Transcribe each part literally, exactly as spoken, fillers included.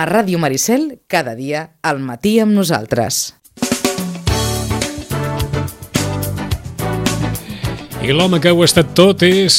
A Ràdio Maricel, cada dia, al matí amb nosaltres. I l'home que ho ha estat tot és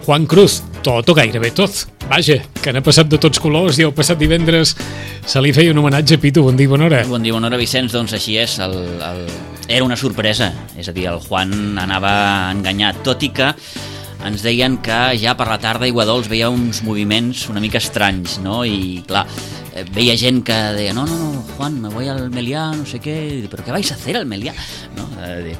Juan Cruz, tot o gairebé tot. Vaja, que n'ha passat de tots colors i el passat divendres se li feia un homenatge a Pitu. Bon dia, bona hora. Bon dia, bona hora, Vicenç. Doncs així és, el, el... era una sorpresa. És a dir, el Juan anava enganyat, tot i que ens deien que ja per la tarda Aiguadols veia uns moviments una mica estranys, no? I clar, veia gent que deia, no, no, no, Juan, me voy al Meliá, no sé què, però què vais a hacer al Meliá? No? I,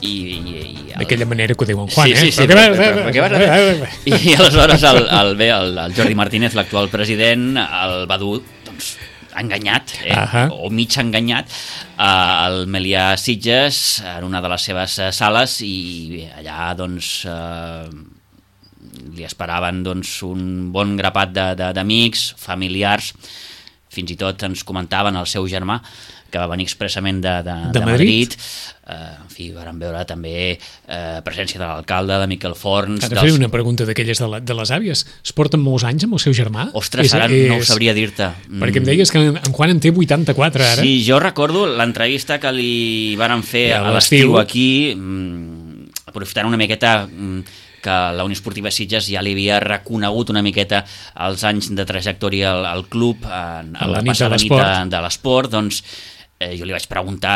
i, i el... d'aquella manera que ho diu en Juan, sí, sí, eh? sí, però, però, però, què vas a fer? I aleshores el, el, bé, el, el Jordi Martínez, l'actual president, el va dur, doncs, enganyat, eh? uh-huh. o mig enganyat, al Meliá Sitges, en una de les seves sales, i allà, doncs, eh, li esperaven doncs, un bon grapat d'amics, familiars, fins i tot ens comentaven el seu germà, que va venir expressament de, de, de, de Madrid. Madrid. Uh, en fi, vàrem veure també uh, presència de l'alcalde, de Miquel Forns... Ara dels... faré una pregunta d'aquelles de, la, de les àvies. Es porten molts anys amb el seu germà? Ostres, és, ara és... no ho sabria dir-te. Perquè em deies que en, en Juan en té vuitanta-quatre, ara. Sí, jo recordo l'entrevista que li varen fer ja, a l'estiu aquí, mm, aprofitant una miqueta... Mm, que la Unió Esportiva Sitges ja li havia reconegut una miqueta els anys de trajectòria al, al club en, en la, la passada nit de, de l'esport, doncs eh, jo li vaig preguntar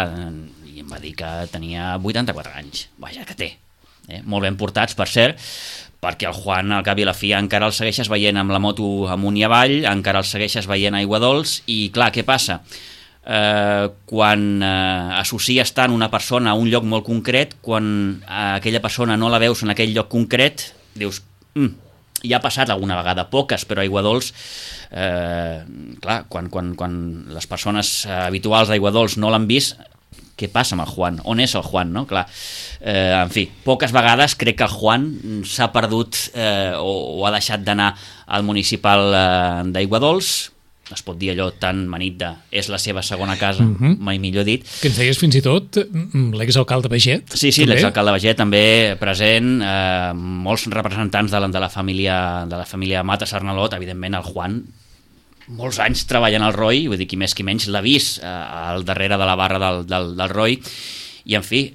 i em va dir que tenia vuitanta-quatre anys. Vaja, que té. Eh? Molt ben portats, per cert, perquè el Juan, al cap i a la fi, encara el segueixes veient amb la moto amunt i avall, encara el segueixes veient a Aiguadols, i clar, què passa? Eh, quan eh, associes tant una persona a un lloc molt concret, quan eh, aquella persona no la veus en aquell lloc concret, dius, mm, ja ha passat alguna vegada, poques, però a Aiguadols, eh, clar, quan, quan, quan les persones eh, habituals d'Aiguadols no l'han vist, què passa amb el Juan? On és el Juan, no? Clar, eh, en fi, poques vegades crec que el Juan s'ha perdut eh, o, o ha deixat d'anar al municipal eh, d'Aiguadols. Es pot dir allò tan manit de és la seva segona casa, uh-huh. mai millor dit. Que ens deies fins i tot l'exalcalde Baget? Sí, sí, l'exalcalde Baget també present, eh, molts representants de la, de la família de la família Mata Sarnalot, evidentment el Juan, molts anys treballant al Roi, vull dir, qui més qui menys l'ha vist eh, al darrere de la barra del, del, del Roi, i en fi,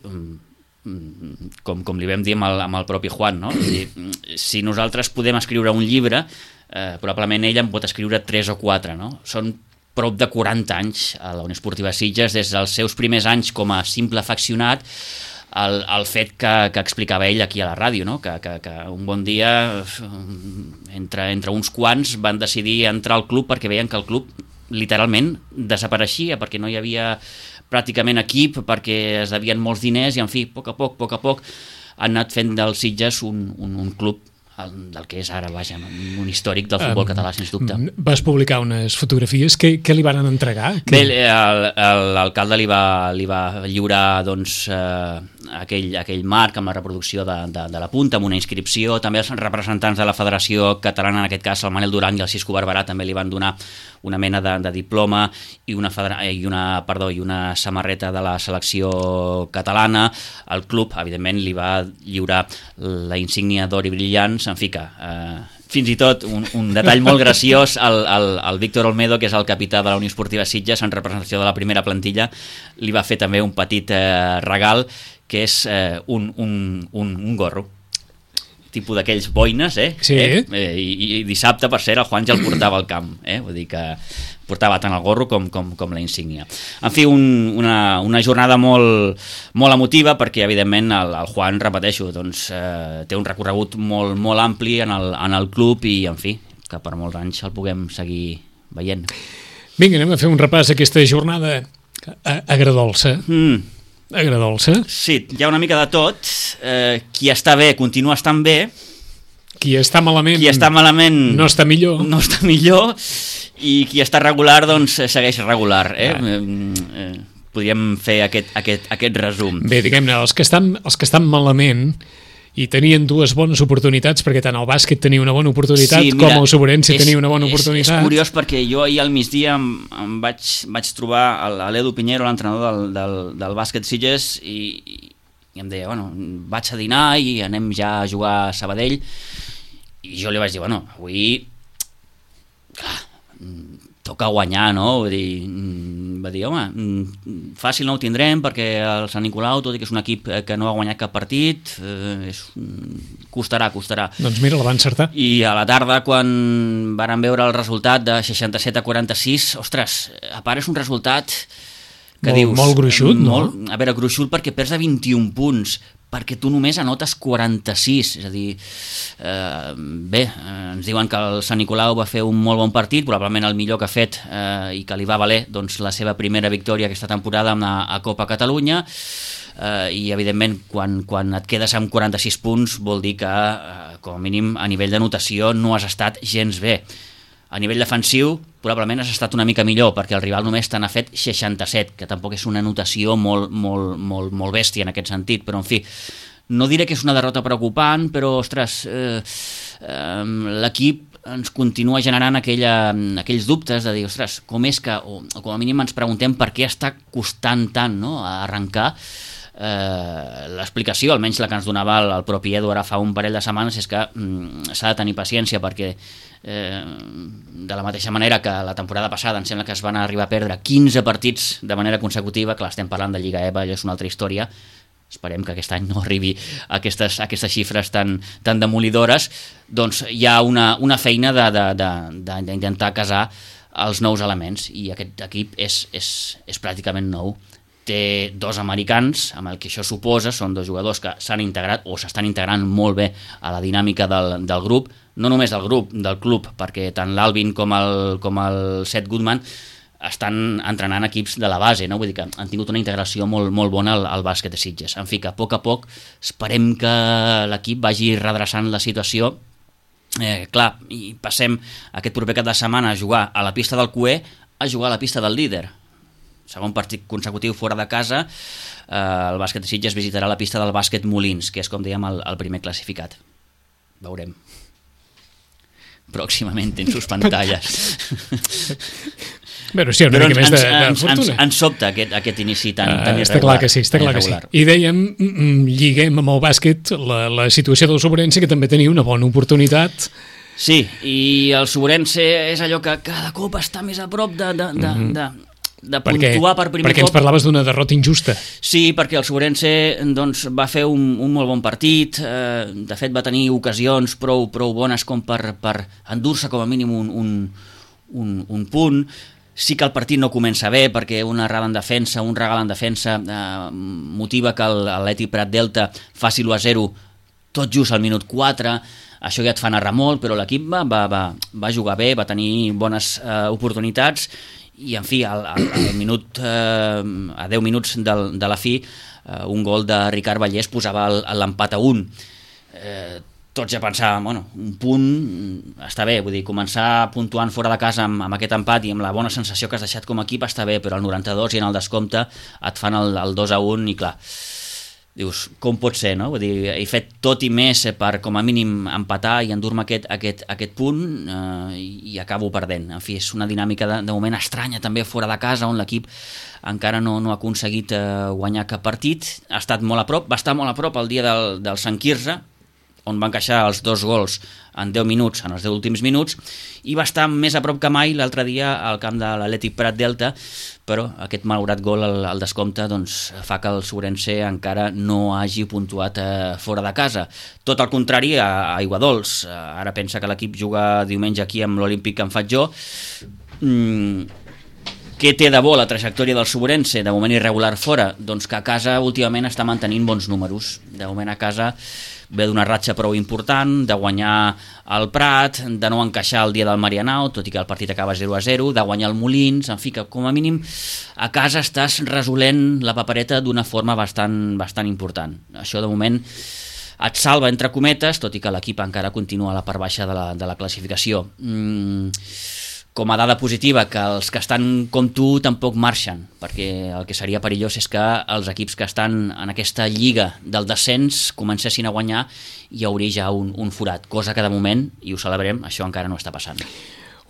com, com li vam dir amb el, amb el propi Juan, no? Vull dir, si nosaltres podem escriure un llibre, Eh, probablement ell en pot escriure tres o quatre, no? Són prop de quaranta anys a la Unió Esportiva Sitges, des dels seus primers anys com a simple afeccionat, el, el fet que, que explicava ell aquí a la ràdio, no? que, que, que un bon dia entre, entre uns quants van decidir entrar al club perquè veien que el club literalment desapareixia, perquè no hi havia pràcticament equip, perquè es devien molts diners, i en fi, a poc a poc, a poc a poc han anat fent del Sitges un, un, un club del que és ara, vaja, un històric del futbol um, català, sens dubte. Vas publicar unes fotografies, què, què li van entregar? Bé, l'alcalde li va, li va lliurar doncs, eh, aquell, aquell marc amb la reproducció de, de, de la punta, amb una inscripció. També els representants de la Federació Catalana, en aquest cas el Manel Duran i el Cisco Barberà, també li van donar una mena de, de diploma i una, federa, i, una, perdó, i una samarreta de la selecció catalana. El club, evidentment, li va lliurar la insígnia d'or i brillants, en fi que, eh, fins i tot un, un detall molt graciós, el, el, el Víctor Olmedo, que és el capità de la Unió Esportiva Sitges, en representació de la primera plantilla, li va fer també un petit eh, regal, que és eh, un, un, un, un gorro, tipus d'aquells boines, eh? Sí. eh? eh i, I dissabte, per cert, el Juan ja el portava al camp, eh? Vull dir que portava tant el gorro com, com, com la insígnia. En fi, un, una, una jornada molt, molt emotiva, perquè evidentment el, el Juan, repeteixo, doncs, eh, té un recorregut molt, molt ampli en el, en el club, i en fi, que per molts anys el puguem seguir veient. Vinga, anem a fer un repàs a aquesta jornada agradolça. Mm. Agradolça. Sí, hi ha una mica de tot. Eh, qui està bé continua estant bé. Qui està malament, qui està malament no està millor. No està millor. I qui està regular, doncs, segueix regular. Eh? Ah. Eh, podríem fer aquest, aquest, aquest resum. Bé, diguem-ne, els que estan, els que estan malament i tenien dues bones oportunitats, perquè tant el bàsquet tenia una bona oportunitat, sí, mira, com el Sobrense tenia una bona oportunitat. És, és curiós perquè jo ahir al migdia em, em vaig, vaig trobar l'Edu Piñero, l'entrenador del, del, del bàsquet Sitges, i, i em deia, bueno, vaig a dinar i anem ja a jugar a Sabadell, i jo li vaig dir, bueno, avui clar, toca guanyar, no? Vull dir, va dir, home, fàcil no ho tindrem perquè el Sant Nicolau, tot i que és un equip que no ha guanyat cap partit, eh, és, costarà, costarà. Doncs mira, la va encertar. I a la tarda, quan varen veure el resultat de seixanta-set a quaranta-sis, ostres, a part és un resultat que molt, dius... Molt gruixut, no? Molt, a veure, gruixut perquè perds a vint-i-un punts, perquè tu només anotes quaranta-sis, és a dir, eh, bé, eh, ens diuen que el Sant Nicolau va fer un molt bon partit, probablement el millor que ha fet eh, i que li va valer doncs, la seva primera victòria aquesta temporada a, a Copa Catalunya, eh, i evidentment quan, quan et quedes amb quaranta-sis punts vol dir que, eh, com a mínim a nivell de notació, no has estat gens bé. A nivell defensiu, probablement has estat una mica millor, perquè el rival només te n'ha fet seixanta-set, que tampoc és una notació molt, molt, molt, molt bèstia en aquest sentit, però en fi, no diré que és una derrota preocupant, però, ostres, eh, eh, l'equip ens continua generant aquella, aquells dubtes de dir, ostres, com és que, o, o com a mínim ens preguntem per què està costant tant, no?, a arrencar. Eh, l'explicació, almenys la que ens donava el, el propi Edu ara fa un parell de setmanes, és que mm, s'ha de tenir paciència perquè eh, de la mateixa manera que la temporada passada em sembla que es van arribar a perdre quinze partits de manera consecutiva, clar, estem parlant de Lliga E V A, allò és una altra història, esperem que aquest any no arribi a aquestes, a aquestes xifres tan, tan demolidores, doncs hi ha una, una feina d'intentar casar els nous elements, i aquest equip és, és, és pràcticament nou. Té dos americans, amb el que això suposa, són dos jugadors que s'han integrat o s'estan integrant molt bé a la dinàmica del, del grup, no només del grup, del club, perquè tant l'Alvin com el, com el Seth Goodman estan entrenant equips de la base, no? Vull dir que han tingut una integració molt, molt bona al, al bàsquet de Sitges. En fi, que a poc a poc esperem que l'equip vagi redreçant la situació. Eh, clar, i passem aquest proper cap de setmana a jugar a la pista del Cué a jugar a la pista del líder. Segon partit consecutiu fora de casa, eh, el bàsquet de Sitges visitarà la pista del bàsquet Molins, que és, com dèiem, el, el primer classificat. Veurem. Pròximament en sus pantalles. Però sí, una Però mica ens, més de, de ens, fortuna. Ens, ens sobta aquest, aquest inici tan, tan uh, irregular. Està clar que sí, està clar que sí. I dèiem, lliguem amb el bàsquet la, la situació del Sobrense, que també tenia una bona oportunitat. Sí, i el Sobrense és allò que cada cop està més a prop de... de, de, mm-hmm. de de puntuar per primer perquè cop. Ens parlaves d'una derrota injusta. Sí, perquè el Sobrense doncs, va fer un, un molt bon partit, eh, de fet va tenir ocasions prou, prou bones com per, per endur-se com a mínim un, un, un, un punt. Sí que el partit no comença bé perquè una errada en defensa, un regal en defensa eh, motiva que l'Atleti Prat Delta faci l'u a zero tot just al minut quatre. Això ja et fa narrar molt, però l'equip va, va, va, va jugar bé, va tenir bones eh, oportunitats, i en fi, al, al, al minut, eh, a deu minuts del, de la fi, eh, un gol de Ricard Vallès posava l'empat a un. Eh, tots ja pensàvem, bueno, un punt està bé, vull dir, començar puntuant fora de casa amb, amb aquest empat i amb la bona sensació que has deixat com a equip està bé, però al noranta-dos i en el descompte et fan el, el dos a un i clar, dius, com pot ser, no? Vull dir, he fet tot i més per, com a mínim, empatar i endur-me aquest, aquest, aquest punt eh, i acabo perdent. En fi, és una dinàmica de, de moment estranya també fora de casa, on l'equip encara no, no ha aconseguit eh, guanyar cap partit. Ha estat molt a prop, va estar molt a prop el dia del, del Sant Quirze, on van encaixar els dos gols en deu minuts, en els deu últims minuts, i va estar més a prop que mai l'altre dia al camp de l'Atlètic Prat Delta, però aquest malaurat gol al, al descompte doncs, fa que el Sobrense encara no hagi puntuat eh, fora de casa. Tot el contrari a, a Aiguadols. Eh, ara pensa que l'equip juga diumenge aquí amb l'Olímpic que en faig jo. Mm, què té de bo la trajectòria del Sobrense? De moment irregular fora, doncs que a casa últimament està mantenint bons números. De moment a casa ve d'una ratxa prou important, de guanyar el Prat, de no encaixar el dia del Marianao, tot i que el partit acaba zero a zero, de guanyar el Molins, en fi, que com a mínim a casa estàs resolent la papereta d'una forma bastant, bastant important. Això de moment et salva entre cometes, tot i que l'equip encara continua a la part baixa de la, de la classificació. Mm, com a dada positiva, que els que estan com tu tampoc marxen, perquè el que seria perillós és que els equips que estan en aquesta lliga del descens comencessin a guanyar i hi hauria ja un, un forat, cosa que de moment, i ho celebrem, això encara no està passant.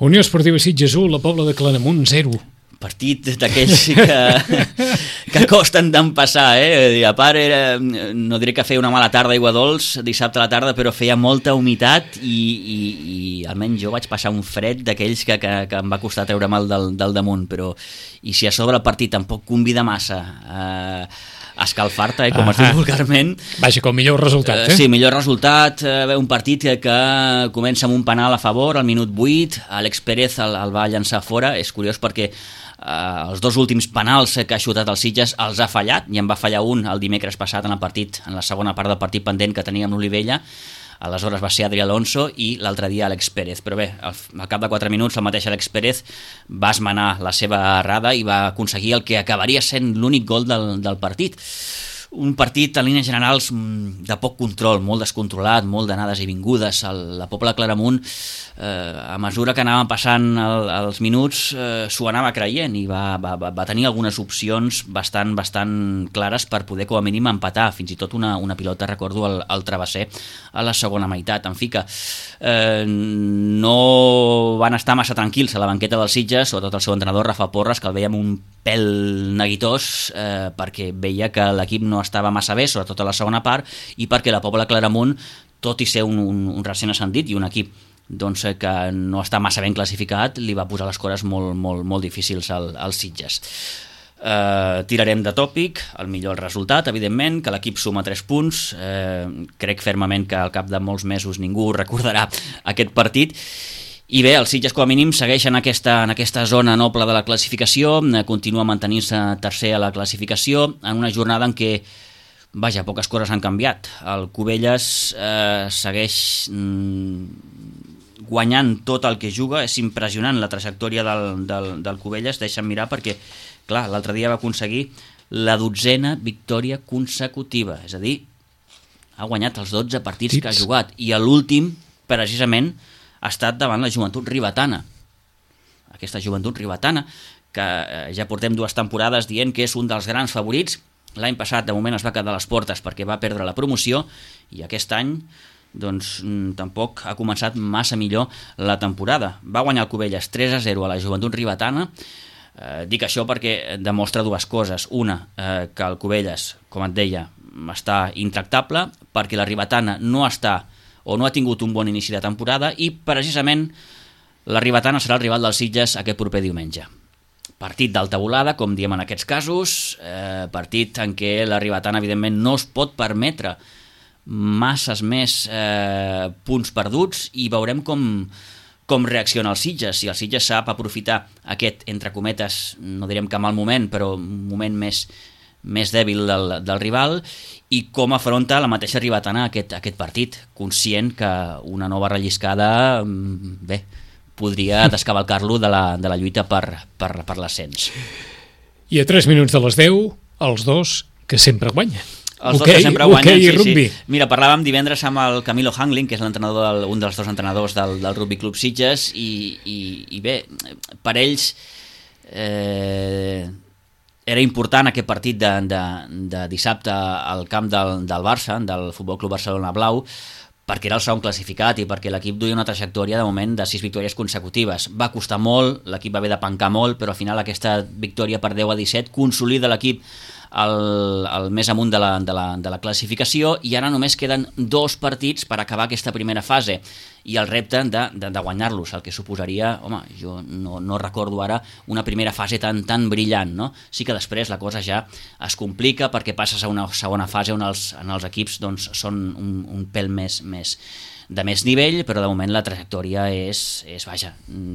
Unió Esportiva Sitges u, la Pobla de Claramunt zero. partit d'aquells que, que costen d'empassar, eh? A part, era, no diré que feia una mala tarda aigua dolç dissabte a la tarda, però feia molta humitat i, i, i almenys jo vaig passar un fred d'aquells que, que, que em va costar treure mal del, del damunt, però i si a sobre el partit tampoc convida massa eh, a escalfar-te, eh, com es diu vulgarment. Vaja, com millor resultat, eh? Sí, millor resultat, eh, un partit que, que comença amb un penal a favor al minut vuit, Àlex Pérez el, el va llançar fora, és curiós perquè Uh, els dos últims penals que ha xutat el Sitges els ha fallat, i en va fallar un el dimecres passat en el partit, en la segona part del partit pendent que tenia amb l'Olivella. Aleshores va ser Adri Alonso i l'altre dia Àlex Pérez, però bé, al, al cap de quatre minuts el mateix Àlex Pérez va esmenar la seva errada i va aconseguir el que acabaria sent l'únic gol del, del partit. Un partit en línies generals de poc control, molt descontrolat, molt d'anades i vingudes. El, la Pobla Claramunt, eh, a mesura que anaven passant el, els minuts, eh, s'ho anava creient i va, va, va tenir algunes opcions bastant bastant clares per poder com a mínim empatar, fins i tot una, una pilota, recordo, al, al travesser a la segona meitat. En fi que eh, no van estar massa tranquils a la banqueta dels Sitges, sobretot el seu entrenador, Rafa Porres, que el veiem un pèl neguitós eh, perquè veia que l'equip no estava massa bé, sobretot a la segona part, i perquè la Pobla Claramunt, tot i ser un, un, un recent ascendit i un equip doncs, que no està massa ben classificat, li va posar les coses molt, molt, molt difícils al, als Sitges. Eh, tirarem de tòpic, el millor resultat, evidentment, que l'equip suma tres punts, eh, crec fermament que al cap de molts mesos ningú recordarà aquest partit. I bé, els Sitges com a mínim segueixen aquesta, en aquesta zona noble de la classificació, continua mantenint-se tercer a la classificació, en una jornada en què, vaja, poques coses han canviat. El Cubelles eh, segueix mm, guanyant tot el que juga, és impressionant la trajectòria del, del, del Cubelles, deixa'm mirar perquè, clar, l'altre dia va aconseguir la dotzena victòria consecutiva, és a dir, ha guanyat els dotze partits que ha jugat, i l'últim, precisament, ha estat davant la Joventut Ribetana. Aquesta Joventut Ribetana, que ja portem dues temporades dient que és un dels grans favorits. L'any passat, de moment, es va quedar a les portes perquè va perdre la promoció, i aquest any doncs, tampoc ha començat massa millor la temporada. Va guanyar el Cubelles tres a zero a la Joventut Ribetana. Eh, dic això perquè demostra dues coses. Una, eh, que el Cubelles, com et deia, està intractable, perquè la Ribetana no està o no ha tingut un bon inici de temporada, i precisament la Ribetana serà el rival dels Sitges aquest proper diumenge. Partit d'alta volada, com diem en aquests casos, eh, partit en què la Ribetana evidentment no es pot permetre masses més eh, punts perduts, i veurem com, com reacciona el Sitges. Si el Sitges sap aprofitar aquest, entre cometes, no direm que mal moment, però un moment més més dèbil del, del rival, i com afronta la mateixa Ribetana aquest, aquest partit, conscient que una nova relliscada, bé, podria descavalcar-lo de la, de la lluita per, per, per l'ascens. I a tres minuts de les deu, els dos que sempre guanyen. Els dos okay, que sempre guanyen, okay, sí, rugby. sí. Mira, parlàvem divendres amb el Camilo Hangling, que és l'entrenador del, un dels dos entrenadors del, del Rugby Club Sitges, i, i, i bé, per ells eh, era important aquest partit de, de, de dissabte al camp del, del Barça, del Futbol Club Barcelona Blau, perquè era el segon classificat i perquè l'equip duia una trajectòria de moment de sis victòries consecutives. Va costar molt, l'equip va haver de pencar molt, però al final aquesta victòria per deu a disset consolida l'equip el, el més amunt de la, de, la, de la classificació, i ara només queden dos partits per acabar aquesta primera fase i el repte de, de, de guanyar-los, el que suposaria, home, jo no, no recordo ara una primera fase tan, tan brillant, no? Sí que després la cosa ja es complica perquè passes a una segona fase on els, on els equips doncs, són un, un pèl més, més de més nivell, però de moment la trajectòria és, és vaja,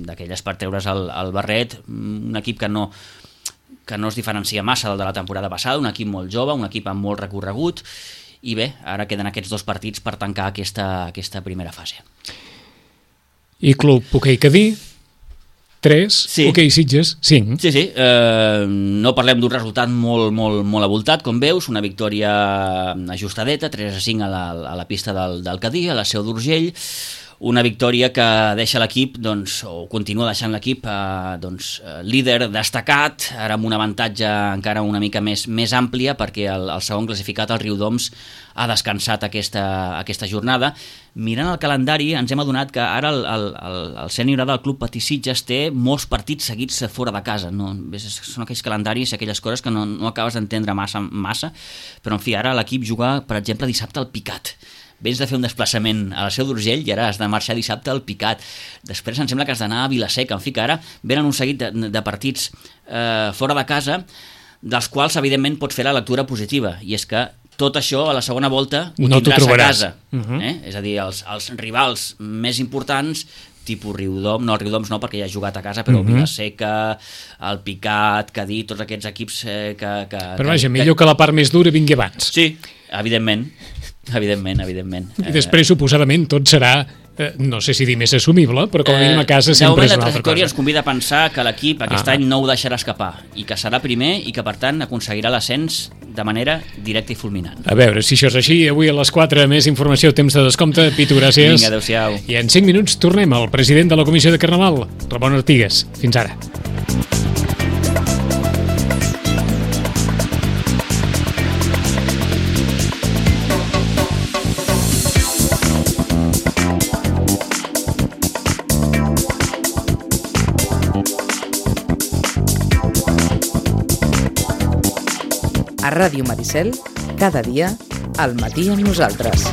d'aquelles per treure's el, el barret, un equip que no que no es diferencia massa del de la temporada passada, un equip molt jove, un equip amb molt recorregut, i bé, ara queden aquests dos partits per tancar aquesta, aquesta primera fase. I Club Hoquei Cadí, tres, sí. Hoquei Sitges, cinc. Sí, sí, eh, no parlem d'un resultat molt, molt, molt avoltat, com veus, una victòria ajustadeta, tres a cinc a la, a la pista del, del Cadí, a la Seu d'Urgell, una victòria que deixa l'equip, doncs, o continua deixant l'equip eh, doncs, líder destacat, ara amb un avantatge encara una mica més, més àmplia, perquè el, el segon classificat, el Riudoms, ha descansat aquesta, aquesta jornada. Mirant el calendari ens hem adonat que ara el, el, el, el sènior del Club Patí Sitges té molts partits seguits fora de casa. No? Són aquells calendaris, aquelles coses que no, no acabes d'entendre massa, massa, però en fi, ara l'equip juga, per exemple, dissabte al Picat. Vens de fer un desplaçament a la Seu d'Urgell i ara has de marxar dissabte al Picat. Després em sembla que has d'anar a Vilaseca. En fi, que ara venen un seguit de, de partits eh, fora de casa, dels quals, evidentment, pots fer la lectura positiva, i és que tot això a la segona volta ho no tindràs a casa. Uh-huh. eh? És a dir, els, els rivals més importants, tipus Riudoms, no, el Riudoms no, perquè ja ha jugat a casa, però uh-huh. Vilaseca, el Picat, Cadí, tots aquests equips eh, que, que... Però vaja, que, millor que la part més dura vingui abans. Sí, evidentment. Evidentment, evidentment. I després, suposadament, tot serà, eh, no sé si dir més assumible, però com a mínim a casa sempre és una altra cosa. De moment, la trajectòria ens convida a pensar que l'equip aquest ah. any no ho deixarà escapar, i que serà primer i que, per tant, aconseguirà l'ascens de manera directa i fulminant. A veure, si això és així, avui a les quatre més informació, temps de descompte. Pitu, gràcies. Vinga, adéu-siau. I en cinc minuts tornem al president de la Comissió de Carnaval, Ramon Artigas. Fins ara. A Ràdio Maricel, cada dia, al matí amb nosaltres.